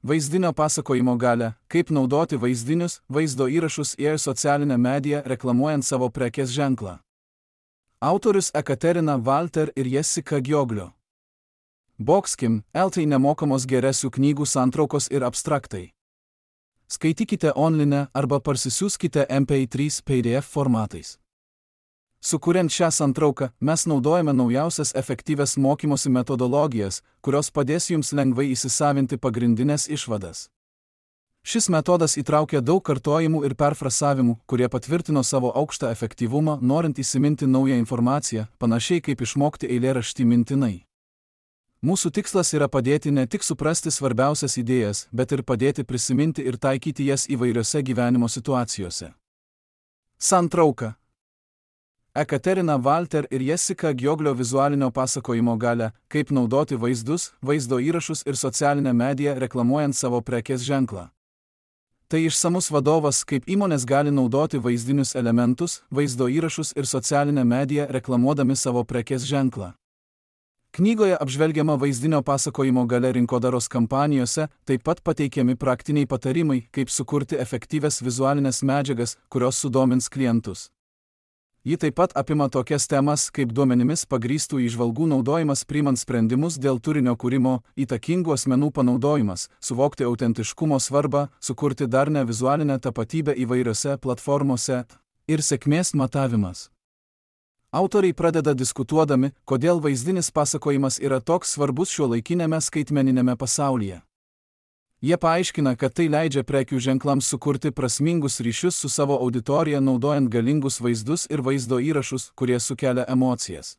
Vaizdinio pasakojimo galią, kaip naudoti vaizdinius, vaizdo įrašus į socialinę mediją reklamuojant savo prekės ženklą. Autorius Ekaterina Walter ir Jessica Gioglio. Boxkim, LT nemokamos geresių knygų santraukos ir abstraktai. Skaitykite online arba parsisiųskite MP3 PDF formatais. Sukuriant šią santrauką, mes naudojame naujausias efektyvias mokymosi metodologijas, kurios padės jums lengvai įsisavinti pagrindinės išvadas. Šis metodas įtraukia daug kartojimų ir perfrasavimų, kurie patvirtino savo aukštą efektyvumą, norint įsiminti naują informaciją, panašiai kaip išmokti eilėraštį mintinai. Mūsų tikslas yra padėti ne tik suprasti svarbiausias idėjas, bet ir padėti prisiminti ir taikyti jas įvairiose gyvenimo situacijose. Santrauka. Ekaterina Walter ir Jessica Gioglio vizualinio pasakojimo galią, kaip naudoti vaizdus, vaizdo įrašus ir socialinę mediją reklamuojant savo prekės ženklą. Tai išsamus vadovas, kaip įmonės gali naudoti vaizdinius elementus, vaizdo įrašus ir socialinę mediją reklamuodami savo prekės ženklą. Knygoje apžvelgiama vaizdinio pasakojimo galia rinkodaros kampanijose, taip pat pateikiami praktiniai patarimai, kaip sukurti efektyvias vizualinės medžiagas, kurios sudomins klientus. Ji taip pat apima tokias temas, kaip duomenimis pagrįstų įžvalgų naudojimas priimant sprendimus dėl turinio kūrimo, įtakingų asmenų panaudojimas, suvokti autentiškumo svarbą, sukurti darnią vizualinę tapatybę įvairiose platformose ir sėkmės matavimas. Autoriai pradeda diskutuodami, kodėl vaizdinis pasakojimas yra toks svarbus šiuolaikinėme skaitmeniniame pasaulyje. Jie paaiškina, kad tai leidžia prekių ženklams sukurti prasmingus ryšius su savo auditorija naudojant galingus vaizdus ir vaizdo įrašus, kurie sukelia emocijas.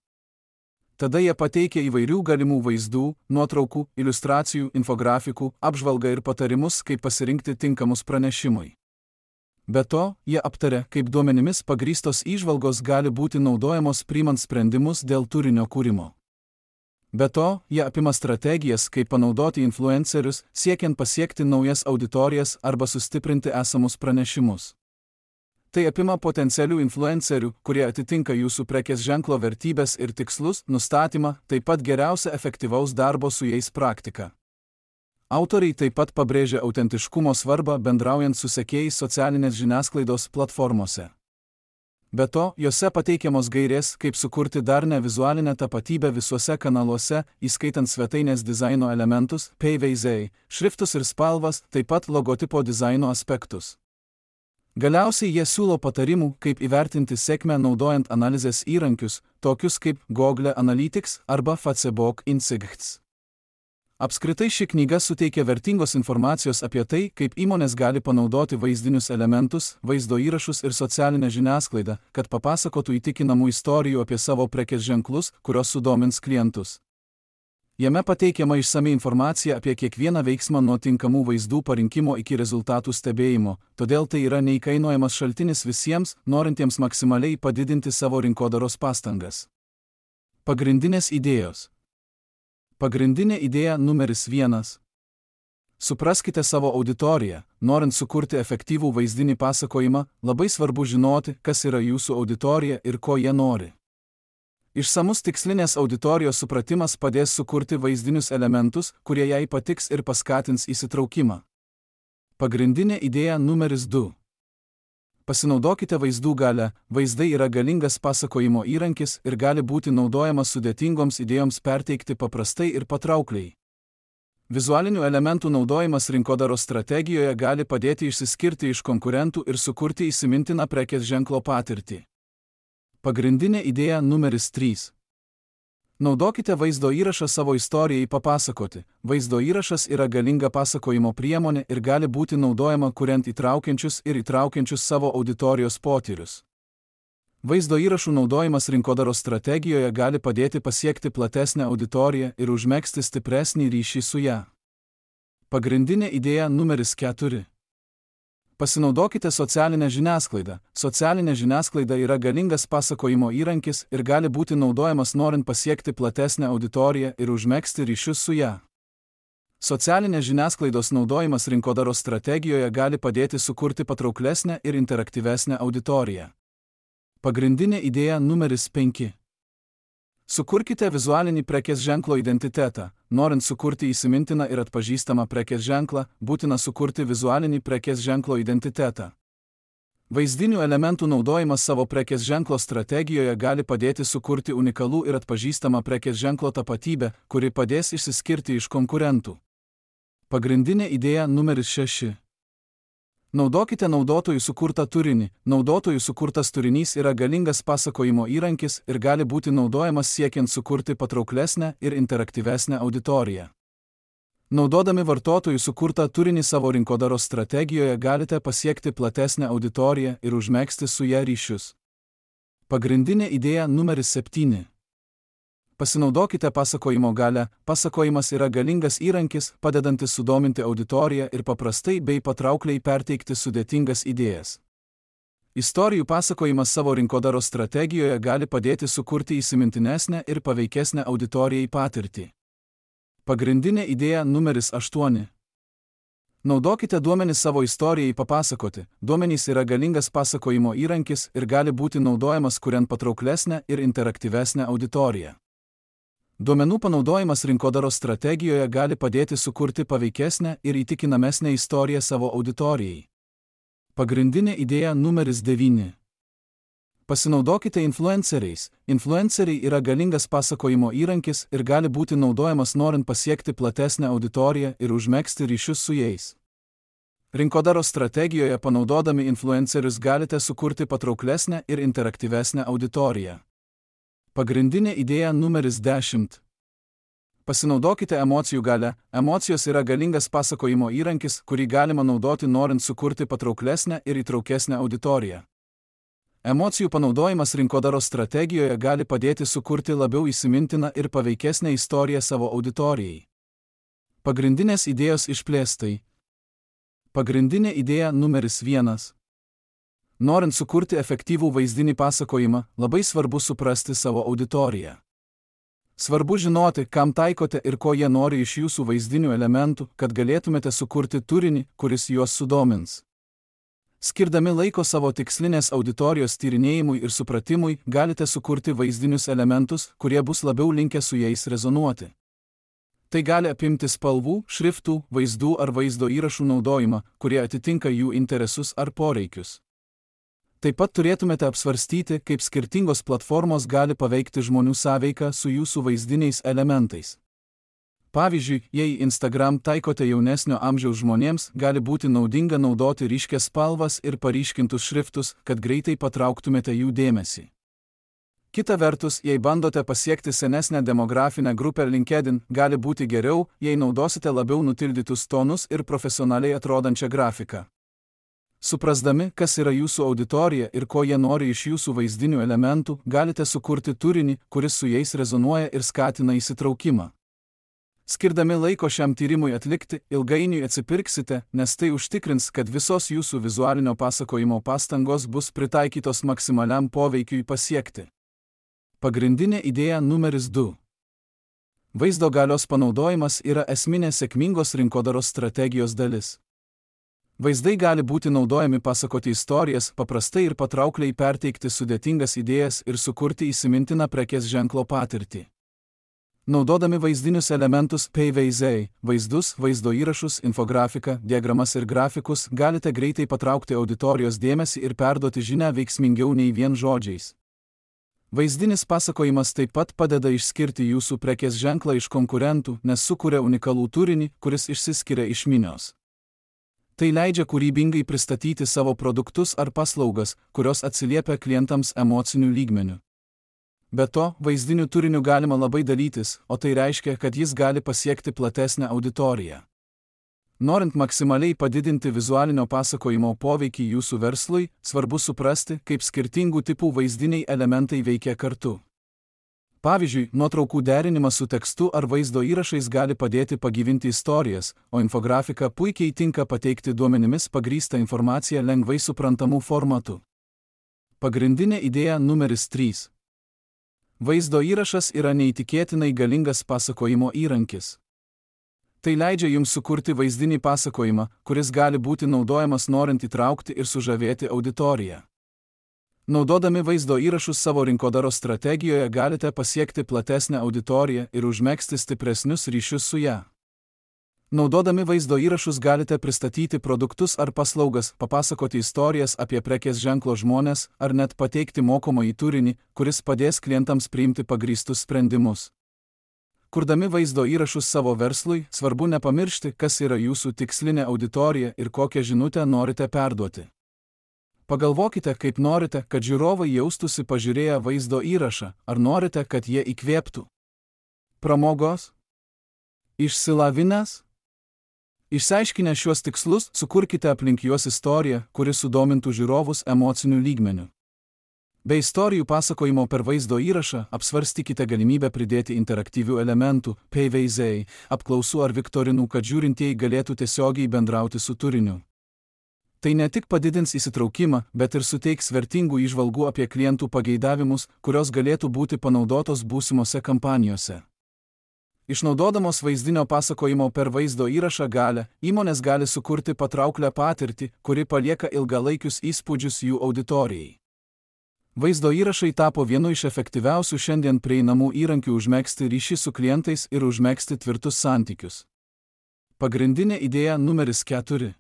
Tada jie pateikia įvairių galimų vaizdų, nuotraukų, iliustracijų, infografikų, apžvalgą ir patarimus, kaip pasirinkti tinkamus pranešimui. Be to, jie aptaria, kaip duomenimis pagrįstos įžvalgos gali būti naudojamos priimant sprendimus dėl turinio kūrimo. Be to, jie apima strategijas, kaip panaudoti influencerius, siekiant pasiekti naujas auditorijas arba sustiprinti esamus pranešimus. Tai apima potencialių influencerių, kurie atitinka jūsų prekės ženklo vertybės ir tikslus, nustatymą, taip pat geriausia efektyvaus darbo su jais praktika. Autoriai taip pat pabrėžia autentiškumo svarbą bendraujant su sekėjais socialinės žiniasklaidos platformose. Be to, jose pateikiamos gairės, kaip sukurti darnią vizualinę tapatybę visuose kanaluose, įskaitant svetainės dizaino elementus, PVZ, šriftus ir spalvas, taip pat logotipo dizaino aspektus. Galiausiai jie siūlo patarimų, kaip įvertinti sėkmę naudojant analizės įrankius, tokius kaip Google Analytics arba Facebook Insights. Apskritai ši knyga suteikia vertingos informacijos apie tai, kaip įmonės gali panaudoti vaizdinius elementus, vaizdo įrašus ir socialinę žiniasklaidą, kad papasakotų įtikinamų istorijų apie savo prekės ženklus, kurios sudomins klientus. Jame pateikiama išsami informacija apie kiekvieną veiksmą nuo tinkamų vaizdų parinkimo iki rezultatų stebėjimo, todėl tai yra neįkainojamas šaltinis visiems, norintiems maksimaliai padidinti savo rinkodaros pastangas. Pagrindinės idėjos. Pagrindinė idėja numeris 1. Supraskite savo auditoriją. Norint sukurti efektyvų vaizdinį pasakojimą, labai svarbu žinoti, kas yra jūsų auditorija ir ko jie nori. Išsamus tikslinės auditorijos supratimas padės sukurti vaizdinius elementus, kurie jai patiks ir paskatins įsitraukimą. Pagrindinė idėja numeris 2. Pasinaudokite vaizdų galią. Vaizdai yra galingas pasakojimo įrankis ir gali būti naudojamas sudėtingoms idėjoms perteikti paprastai ir patraukliai. Vizualinių elementų naudojimas rinkodaros strategijoje gali padėti išsiskirti iš konkurentų ir sukurti įsimintiną prekės ženklo patirtį. Pagrindinė idėja numeris 3. Naudokite vaizdo įrašą savo istorijai papasakoti. Vaizdo įrašas yra galinga pasakojimo priemonė ir gali būti naudojama kuriant įtraukiančius savo auditorijos potyrius. Vaizdo įrašų naudojimas rinkodaros strategijoje gali padėti pasiekti platesnę auditoriją ir užmegzti stipresnį ryšį su ją. Pagrindinė idėja numeris 4. Pasinaudokite socialinę žiniasklaidą. Socialinė žiniasklaida yra galingas pasakojimo įrankis ir gali būti naudojamas norint pasiekti platesnę auditoriją ir užmegzti ryšius su ją. Socialinės žiniasklaidos naudojimas rinkodaros strategijoje gali padėti sukurti patrauklesnę ir interaktyvesnę auditoriją. Pagrindinė idėja numeris 5. Sukurkite vizualinį prekės ženklo identitetą. norint sukurti įsimintiną ir atpažįstamą prekės ženklą, būtina sukurti vizualinį prekės ženklo identitetą. Vaizdinių elementų naudojimas savo prekės ženklo strategijoje gali padėti sukurti unikalų ir atpažįstamą prekės ženklo tapatybę, kuri padės išsiskirti iš konkurentų. Pagrindinė idėja numeris 6. Naudokite naudotojų sukurtą turinį. Naudotojų sukurtas turinys yra galingas pasakojimo įrankis ir gali būti naudojamas siekiant sukurti patrauklesnę ir interaktyvesnę auditoriją. Naudodami vartotojų sukurtą turinį savo rinkodaros strategijoje galite pasiekti platesnę auditoriją ir užmegzti su ja ryšius. Pagrindinė idėja numeris 7. Pasinaudokite pasakojimo galią. Pasakojimas yra galingas įrankis, padedantis sudominti auditoriją ir paprastai bei patraukliai perteikti sudėtingas idėjas. Istorijų pasakojimas savo rinkodaros strategijoje gali padėti sukurti įsimintinesnę ir paveikesnę auditorijai patirtį. Pagrindinė idėja numeris 8. Naudokite duomenis savo istorijai papasakoti. Duomenys yra galingas pasakojimo įrankis ir gali būti naudojamas kuriant patrauklesnę ir interaktyvesnę auditoriją. Duomenų panaudojimas rinkodaros strategijoje gali padėti sukurti paveikesnę ir įtikinamesnę istoriją savo auditorijai. Pagrindinė idėja numeris 9. Pasinaudokite influenceriais. Influenceriai yra galingas pasakojimo įrankis ir gali būti naudojamas norint pasiekti platesnę auditoriją ir užmegzti ryšius su jais. Rinkodaros strategijoje panaudodami influencerius galite sukurti patrauklesnę ir interaktyvesnę auditoriją. Pagrindinė idėja numeris 10. Pasinaudokite emocijų galią. Emocijos yra galingas pasakojimo įrankis, kurį galima naudoti norint sukurti patrauklesnę ir įtraukesnę auditoriją. Emocijų panaudojimas rinkodaros strategijoje gali padėti sukurti labiau įsimintiną ir paveikesnę istoriją savo auditorijai. Pagrindinės idėjos išplėstai. Pagrindinė idėja numeris 1. Norint sukurti efektyvų vaizdinį pasakojimą, labai svarbu suprasti savo auditoriją. Svarbu žinoti, kam taikote ir ko jie nori iš jūsų vaizdinių elementų, kad galėtumėte sukurti turinį, kuris juos sudomins. Skirdami laiko savo tikslinės auditorijos tyrinėjimui ir supratimui, galite sukurti vaizdinius elementus, kurie bus labiau linkę su jais rezonuoti. Tai gali apimti spalvų, šriftų, vaizdų ar vaizdo įrašų naudojimą, kurie atitinka jų interesus ar poreikius. Taip pat turėtumėte apsvarstyti, kaip skirtingos platformos gali paveikti žmonių sąveiką su jūsų vaizdiniais elementais. Pavyzdžiui, jei Instagram taikote jaunesnio amžiaus žmonėms, gali būti naudinga naudoti ryškias spalvas ir paryškintus šriftus, kad greitai patrauktumėte jų dėmesį. Kita vertus, jei bandote pasiekti senesnę demografinę grupę LinkedIn, gali būti geriau, jei naudosite labiau nutildytus tonus ir profesionaliai atrodančią grafiką. Suprasdami, kas yra jūsų auditorija ir ko jie nori iš jūsų vaizdinių elementų, galite sukurti turinį, kuris su jais rezonuoja ir skatina įsitraukimą. Skirdami laiko šiam tyrimui atlikti, ilgainiui atsipirksite, nes tai užtikrins, kad visos jūsų vizualinio pasakojimo pastangos bus pritaikytos maksimaliam poveikiui pasiekti. Pagrindinė idėja numeris 2. Vaizdo galios panaudojimas yra esminė sėkmingos rinkodaros strategijos dalis. Vaizdai gali būti naudojami pasakoti istorijas, paprastai ir patraukliai perteikti sudėtingas idėjas ir sukurti įsimintiną prekės ženklo patirtį. Naudodami vaizdinius elementus PVZ, vaizdus, vaizdo įrašus, infografiką, diagramas ir grafikus, galite greitai patraukti auditorijos dėmesį ir perduoti žinią veiksmingiau nei vien žodžiais. Vaizdinis pasakojimas taip pat padeda išskirti jūsų prekės ženklą iš konkurentų, nes sukuria unikalų turinį, kuris išsiskiria iš minios. Tai leidžia kūrybingai pristatyti savo produktus ar paslaugas, kurios atsiliepia klientams emociniu lygmeniu. Be to, vaizdiniu turiniu galima labai dalytis, o tai reiškia, kad jis gali pasiekti platesnę auditoriją. Norint maksimaliai padidinti vizualinio pasakojimo poveikį jūsų verslui, svarbu suprasti, kaip skirtingų tipų vaizdiniai elementai veikia kartu. Pavyzdžiui, nuotraukų derinimas su tekstu ar vaizdo įrašais gali padėti pagyvinti istorijas, o infografika puikiai tinka pateikti duomenimis pagrįstą informaciją lengvai suprantamų formatų. Pagrindinė idėja numeris 3. Vaizdo įrašas yra neįtikėtinai galingas pasakojimo įrankis. Tai leidžia jums sukurti vaizdinį pasakojimą, kuris gali būti naudojamas norint įtraukti ir sužavėti auditoriją. Naudodami vaizdo įrašus savo rinkodaros strategijoje galite pasiekti platesnę auditoriją ir užmegzti stipresnius ryšius su ją. Naudodami vaizdo įrašus galite pristatyti produktus ar paslaugas, papasakoti istorijas apie prekės ženklo žmones ar net pateikti mokomąjį turinį, kuris padės klientams priimti pagrįstus sprendimus. Kurdami vaizdo įrašus savo verslui, svarbu nepamiršti, kas yra jūsų tikslinė auditorija ir kokią žinutę norite perduoti. Pagalvokite, kaip norite, kad žiūrovai jaustųsi pažiūrėję vaizdo įrašą, ar norite, kad jie įkvėptų. Pramogos? Išsilavinęs? Išsiaiškinę šiuos tikslus, sukurkite aplink juos istoriją, kuri sudomintų žiūrovus emociniu lygmeniu. Be istorijų pasakojimo per vaizdo įrašą apsvarstykite galimybę pridėti interaktyvių elementų, PVZ, apklausų ar viktorinų, kad žiūrintieji galėtų tiesiogiai bendrauti su turiniu. Tai ne tik padidins įsitraukimą, bet ir suteiks vertingų įžvalgų apie klientų pageidavimus, kurios galėtų būti panaudotos būsimose kampanijose. Išnaudodamos vaizdinio pasakojimo per vaizdo įrašą galią, įmonės gali sukurti patrauklią patirtį, kuri palieka ilgalaikius įspūdžius jų auditorijai. Vaizdo įrašai tapo vienu iš efektyviausių šiandien prieinamų įrankių užmegzti ryšį su klientais ir užmegzti tvirtus santykius. Pagrindinė idėja numeris 4.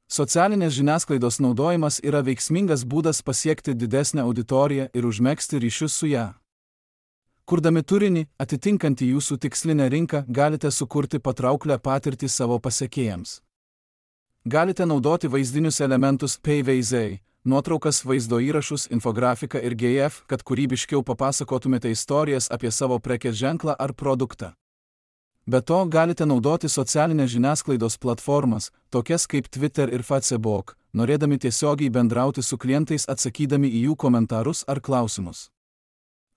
Socialinės žiniasklaidos naudojimas yra veiksmingas būdas pasiekti didesnę auditoriją ir užmegzti ryšius su ją. Kurdami turinį, atitinkantį jūsų tikslinę rinką, galite sukurti patrauklią patirtį savo pasekėjams. Galite naudoti vaizdinius elementus PVZ, nuotraukas, vaizdo įrašus, infografiką ir GIF, kad kūrybiškiau papasakotumėte istorijas apie savo prekės ženklą ar produktą. Be to, galite naudoti socialinės žiniasklaidos platformas, tokias kaip Twitter ir Facebook, norėdami tiesiogiai bendrauti su klientais atsakydami į jų komentarus ar klausimus.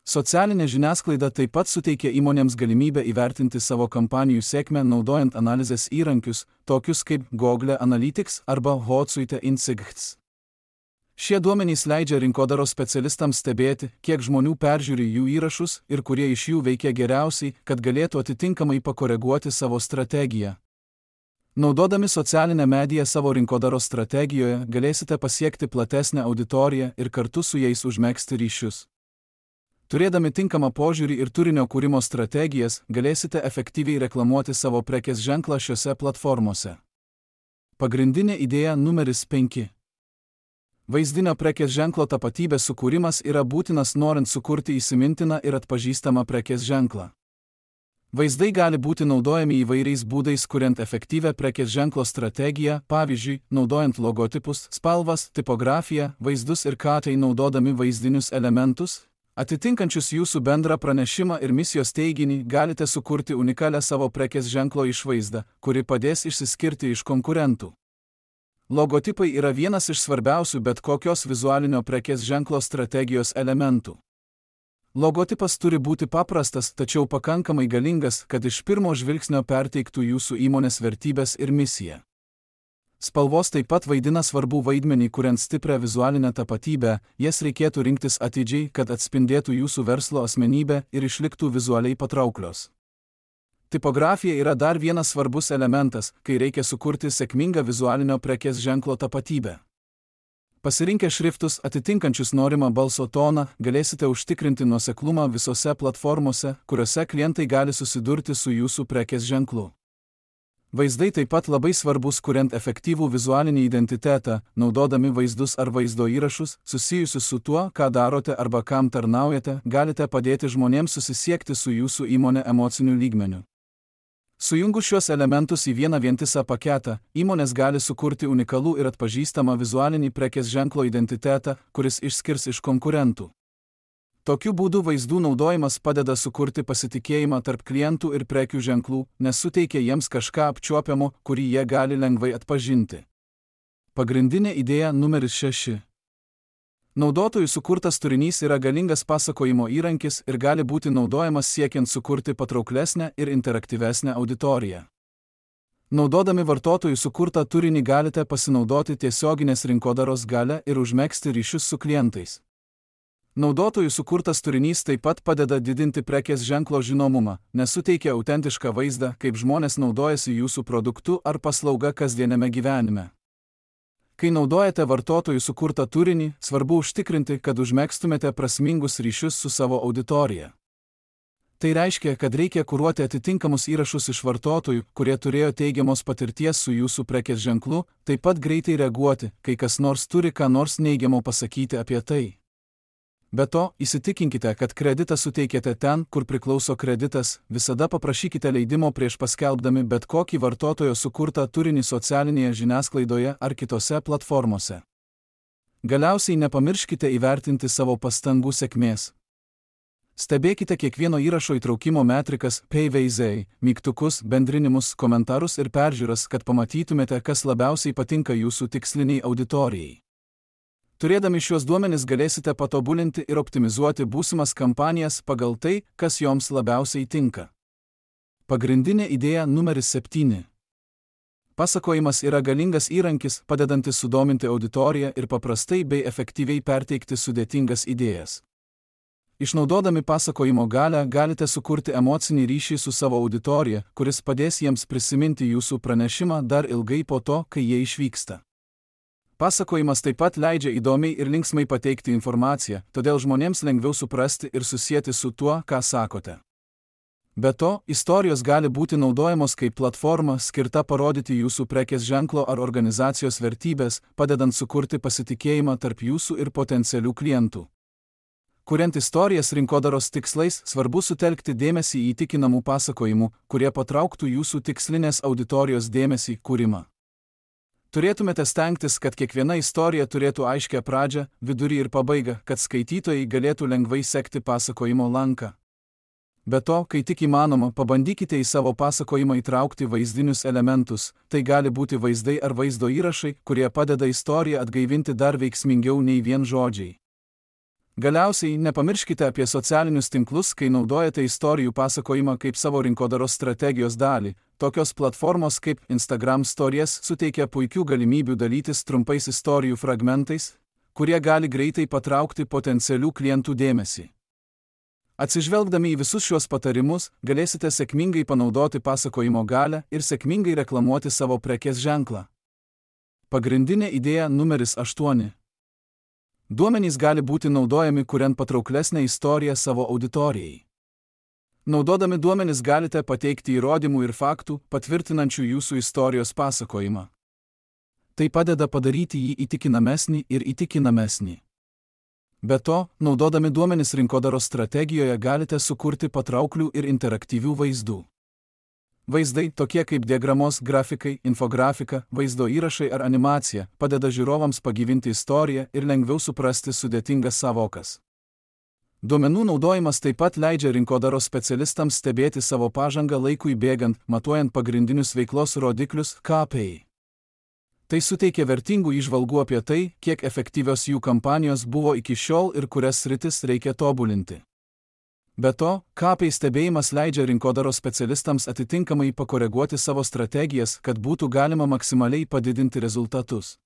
Socialinė žiniasklaida taip pat suteikia įmonėms galimybę įvertinti savo kampanijų sėkmę naudojant analizės įrankius, tokius kaip Google Analytics arba Hootsuite Insights. Šie duomenys leidžia rinkodaros specialistams stebėti, kiek žmonių peržiūri jų įrašus ir kurie iš jų veikia geriausiai, kad galėtų atitinkamai pakoreguoti savo strategiją. Naudodami socialinę mediją savo rinkodaros strategijoje galėsite pasiekti platesnę auditoriją ir kartu su jais užmegzti ryšius. Turėdami tinkamą požiūrį ir turinio kūrimo strategijas, galėsite efektyviai reklamuoti savo prekės ženklą šiose platformose. Pagrindinė idėja numeris 5. Vaizdinio prekės ženklo tapatybės sukūrimas yra būtinas norint sukurti įsimintiną ir atpažįstamą prekės ženklą. Vaizdai gali būti naudojami įvairiais būdais, kuriant efektyvią prekės ženklo strategiją, pavyzdžiui, naudojant logotipus, spalvas, tipografiją, vaizdus ir katai naudodami vaizdinius elementus, atitinkančius jūsų bendrą pranešimą ir misijos teiginį, galite sukurti unikalią savo prekės ženklo išvaizdą, kuri padės išsiskirti iš konkurentų. Logotipai yra vienas iš svarbiausių bet kokios vizualinio prekės ženklo strategijos elementų. Logotipas turi būti paprastas, tačiau pakankamai galingas, kad iš pirmo žvilgsnio perteiktų jūsų įmonės vertybės ir misiją. Spalvos taip pat vaidina svarbų vaidmenį, kuriant stiprią vizualinę tapatybę, jas reikėtų rinktis atidžiai, kad atspindėtų jūsų verslo asmenybę ir išliktų vizualiai patrauklios. Tipografija yra dar vienas svarbus elementas, kai reikia sukurti sėkmingą vizualinio prekės ženklo tapatybę. Pasirinkę šriftus atitinkančius norimą balso toną, galėsite užtikrinti nuoseklumą visose platformose, kuriuose klientai gali susidurti su jūsų prekės ženklu. Vaizdai taip pat labai svarbus, kuriant efektyvų vizualinį identitetą, naudodami vaizdus ar vaizdo įrašus, susijusius su tuo, ką darote arba kam tarnaujate, galite padėti žmonėms susisiekti su jūsų įmonė emociniu lygmeniu. Sujungus šiuos elementus į vieną vientisą paketą, įmonės gali sukurti unikalų ir atpažįstamą vizualinį prekės ženklo identitetą, kuris išskirs iš konkurentų. Tokiu būdu vaizdų naudojimas padeda sukurti pasitikėjimą tarp klientų ir prekių ženklų, nes suteikia jiems kažką apčiuopiamo, kurį jie gali lengvai atpažinti. Pagrindinė idėja numeris 6. Naudotojų sukurtas turinys yra galingas pasakojimo įrankis ir gali būti naudojamas siekiant sukurti patrauklesnę ir interaktyvesnę auditoriją. Naudodami vartotojų sukurtą turinį galite pasinaudoti tiesioginės rinkodaros galią ir užmegzti ryšius su klientais. Naudotojų sukurtas turinys taip pat padeda didinti prekės ženklo žinomumą, nes suteikia autentišką vaizdą, kaip žmonės naudojasi jūsų produktu ar paslauga kasdieniame gyvenime. Kai naudojate vartotojų sukurtą turinį, svarbu užtikrinti, kad užmegztumėte prasmingus ryšius su savo auditorija. Tai reiškia, kad reikia kuruoti atitinkamus įrašus iš vartotojų, kurie turėjo teigiamos patirties su jūsų prekės ženklu, taip pat greitai reaguoti, kai kas nors turi ką nors neigiamo pasakyti apie tai. Be to, įsitikinkite, kad kreditą suteikėte ten, kur priklauso kreditas, visada paprašykite leidimo prieš paskelbdami bet kokį vartotojo sukurtą turinį socialinėje žiniasklaidoje ar kitose platformose. Galiausiai nepamirškite įvertinti savo pastangų sėkmės. Stebėkite kiekvieno įrašo įtraukimo metrikas, PVZ, mygtukus, bendrinimus, komentarus ir peržiūras, kad pamatytumėte, kas labiausiai patinka jūsų tiksliniai auditorijai. Turėdami šiuos duomenis galėsite patobulinti ir optimizuoti būsimas kampanijas pagal tai, kas joms labiausiai tinka. Pagrindinė idėja numeris 7. Pasakojimas yra galingas įrankis, padedantis sudominti auditoriją ir paprastai bei efektyviai perteikti sudėtingas idėjas. Išnaudodami pasakojimo galią galite sukurti emocinį ryšį su savo auditorija, kuris padės jiems prisiminti jūsų pranešimą dar ilgai po to, kai jie išvyksta. Pasakojimas taip pat leidžia įdomiai ir linksmai pateikti informaciją, todėl žmonėms lengviau suprasti ir susieti su tuo, ką sakote. Be to, istorijos gali būti naudojamos kaip platforma skirta parodyti jūsų prekės ženklo ar organizacijos vertybės, padedant sukurti pasitikėjimą tarp jūsų ir potencialių klientų. Kuriant istorijas rinkodaros tikslais, svarbu sutelkti dėmesį į įtikinamų pasakojimų, kurie patrauktų jūsų tikslinės auditorijos dėmesį kūrimą. Turėtumėte stengtis, kad kiekviena istorija turėtų aiškią pradžią, vidurį ir pabaigą, kad skaitytojai galėtų lengvai sekti pasakojimo lanką. Be to, kai tik įmanoma, pabandykite į savo pasakojimą įtraukti vaizdinius elementus, tai gali būti vaizdai ar vaizdo įrašai, kurie padeda istoriją atgaivinti dar veiksmingiau nei vien žodžiai. Galiausiai, nepamirškite apie socialinius tinklus, kai naudojate istorijų pasakojimą kaip savo rinkodaros strategijos dalį. Tokios platformos kaip Instagram Stories suteikia puikių galimybių dalytis trumpais istorijų fragmentais, kurie gali greitai patraukti potencialių klientų dėmesį. Atsižvelgdami į visus šios patarimus, galėsite sėkmingai panaudoti pasakojimo galią ir sėkmingai reklamuoti savo prekės ženklą. Pagrindinė idėja numeris 8. Duomenys gali būti naudojami kuriant patrauklesnę istoriją savo auditorijai. Naudodami duomenis galite pateikti įrodymų ir faktų, patvirtinančių jūsų istorijos pasakojimą. Tai padeda padaryti jį įtikinamesnį ir įtikinamesnį. Be to, naudodami duomenis rinkodaros strategijoje galite sukurti patrauklių ir interaktyvių vaizdų. Vaizdai, tokie kaip diagramos, grafikai, infografika, vaizdo įrašai ar animacija, padeda žiūrovams pagyvinti istoriją ir lengviau suprasti sudėtingas sąvokas. Duomenų naudojimas taip pat leidžia rinkodaros specialistams stebėti savo pažangą laikui bėgant, matuojant pagrindinius veiklos rodiklius KPI. Tai suteikia vertingų įžvalgų apie tai, kiek efektyvios jų kampanijos buvo iki šiol ir kurias sritis reikia tobulinti. Be to, KPI stebėjimas leidžia rinkodaros specialistams atitinkamai pakoreguoti savo strategijas, kad būtų galima maksimaliai padidinti rezultatus.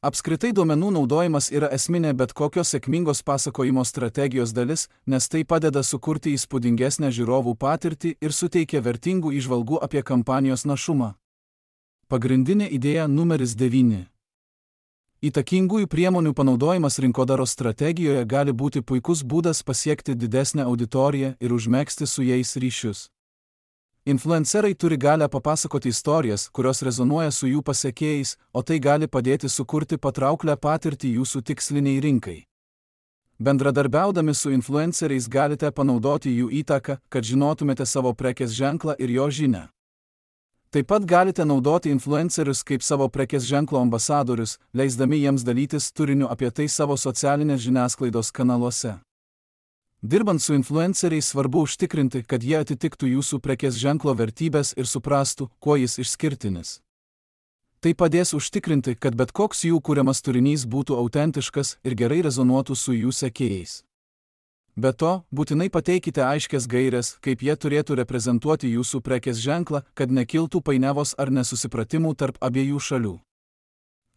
Apskritai duomenų naudojimas yra esminė bet kokios sėkmingos pasakojimo strategijos dalis, nes tai padeda sukurti įspūdingesnę žiūrovų patirtį ir suteikia vertingų įžvalgų apie kampanijos našumą. Pagrindinė idėja numeris 9. Įtakingųjų priemonių panaudojimas rinkodaros strategijoje gali būti puikus būdas pasiekti didesnę auditoriją ir užmegzti su jais ryšius. Influencerai turi galę papasakoti istorijas, kurios rezonuoja su jų pasekėjais, o tai gali padėti sukurti patrauklę patirtį jūsų tiksliniai rinkai. Bendradarbiaudami su influenceriais galite panaudoti jų įtaką, kad žinotumėte savo prekės ženklą ir jo žinią. Taip pat galite naudoti influencerius kaip savo prekės ženklo ambasadorius, leisdami jiems dalytis turiniu apie tai savo socialinės žiniasklaidos kanaluose. Dirbant su influenceriais svarbu užtikrinti, kad jie atitiktų jūsų prekės ženklo vertybės ir suprastų, kuo jis išskirtinis. Tai padės užtikrinti, kad bet koks jų kuriamas turinys būtų autentiškas ir gerai rezonuotų su jų sekėjais. Be to, būtinai pateikite aiškias gaires, kaip jie turėtų reprezentuoti jūsų prekės ženklą, kad nekiltų painiavos ar nesusipratimų tarp abiejų šalių.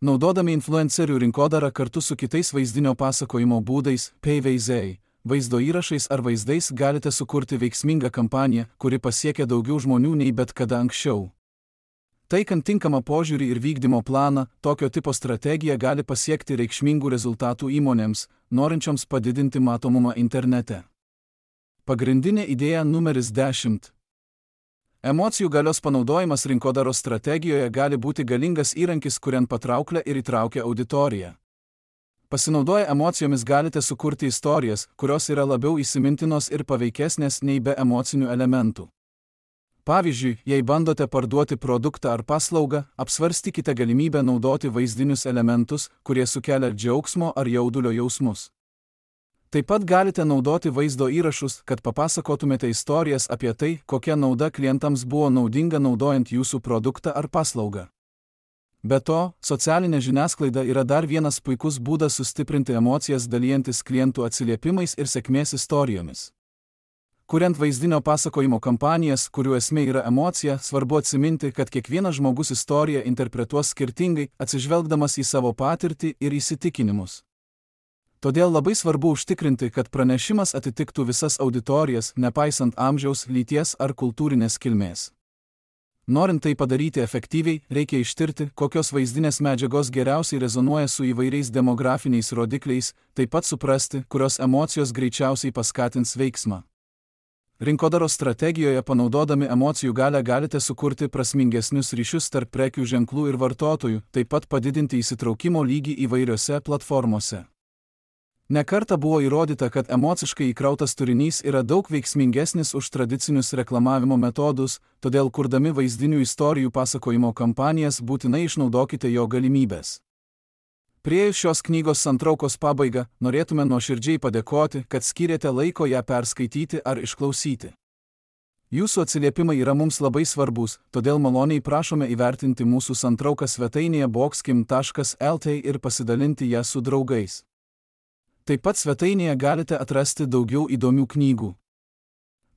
Naudodami influencerių rinkodarą kartu su kitais vaizdinio pasakojimo būdais, PVZ, vaizdo įrašais ar vaizdais galite sukurti veiksmingą kampaniją, kuri pasiekia daugiau žmonių nei bet kada anksčiau. Taikant tinkamą požiūrį ir vykdymo planą, tokio tipo strategija gali pasiekti reikšmingų rezultatų įmonėms, norinčioms padidinti matomumą internete. Pagrindinė idėja numeris 10. Emocijų galios panaudojimas rinkodaros strategijoje gali būti galingas įrankis, kuriant patrauklę ir įtraukia auditoriją. Pasinaudoję emocijomis galite sukurti istorijas, kurios yra labiau įsimintinos ir paveikesnės nei be emocinių elementų. Pavyzdžiui, jei bandote parduoti produktą ar paslaugą, apsvarstykite galimybę naudoti vaizdinius elementus, kurie sukelia džiaugsmo ar jaudulio jausmus. Taip pat galite naudoti vaizdo įrašus, kad papasakotumėte istorijas apie tai, kokia nauda klientams buvo naudinga naudojant jūsų produktą ar paslaugą. Be to, socialinė žiniasklaida yra dar vienas puikus būdas sustiprinti emocijas dalijantis klientų atsiliepimais ir sėkmės istorijomis. Kuriant vaizdinio pasakojimo kampanijas, kurių esmė yra emocija, svarbu atsiminti, kad kiekvienas žmogus istoriją interpretuos skirtingai, atsižvelgdamas į savo patirtį ir įsitikinimus. Todėl labai svarbu užtikrinti, kad pranešimas atitiktų visas auditorijas, nepaisant amžiaus, lyties ar kultūrinės kilmės. Norint tai padaryti efektyviai, reikia ištirti, kokios vaizdinės medžiagos geriausiai rezonuoja su įvairiais demografiniais rodikliais, taip pat suprasti, kurios emocijos greičiausiai paskatins veiksmą. Rinkodaros strategijoje panaudodami emocijų galią galite sukurti prasmingesnius ryšius tarp prekių ženklų ir vartotojų, taip pat padidinti įsitraukimo lygį įvairiose platformose. Ne kartą buvo įrodyta, kad emociškai įkrautas turinys yra daug veiksmingesnis už tradicinius reklamavimo metodus, todėl kurdami vaizdinių istorijų pasakojimo kampanijas būtinai išnaudokite jo galimybės. Priėjus šios knygos santraukos pabaigą, norėtume nuoširdžiai padėkoti, kad skyrėte laiko ją perskaityti ar išklausyti. Jūsų atsiliepimai yra mums labai svarbus, todėl maloniai prašome įvertinti mūsų santrauką svetainėje boxkim.lt ir pasidalinti ją su draugais. Taip pat svetainėje galite atrasti daugiau įdomių knygų.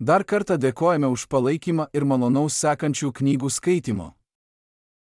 Dar kartą dėkojame už palaikymą ir malonaus sekančių knygų skaitymo.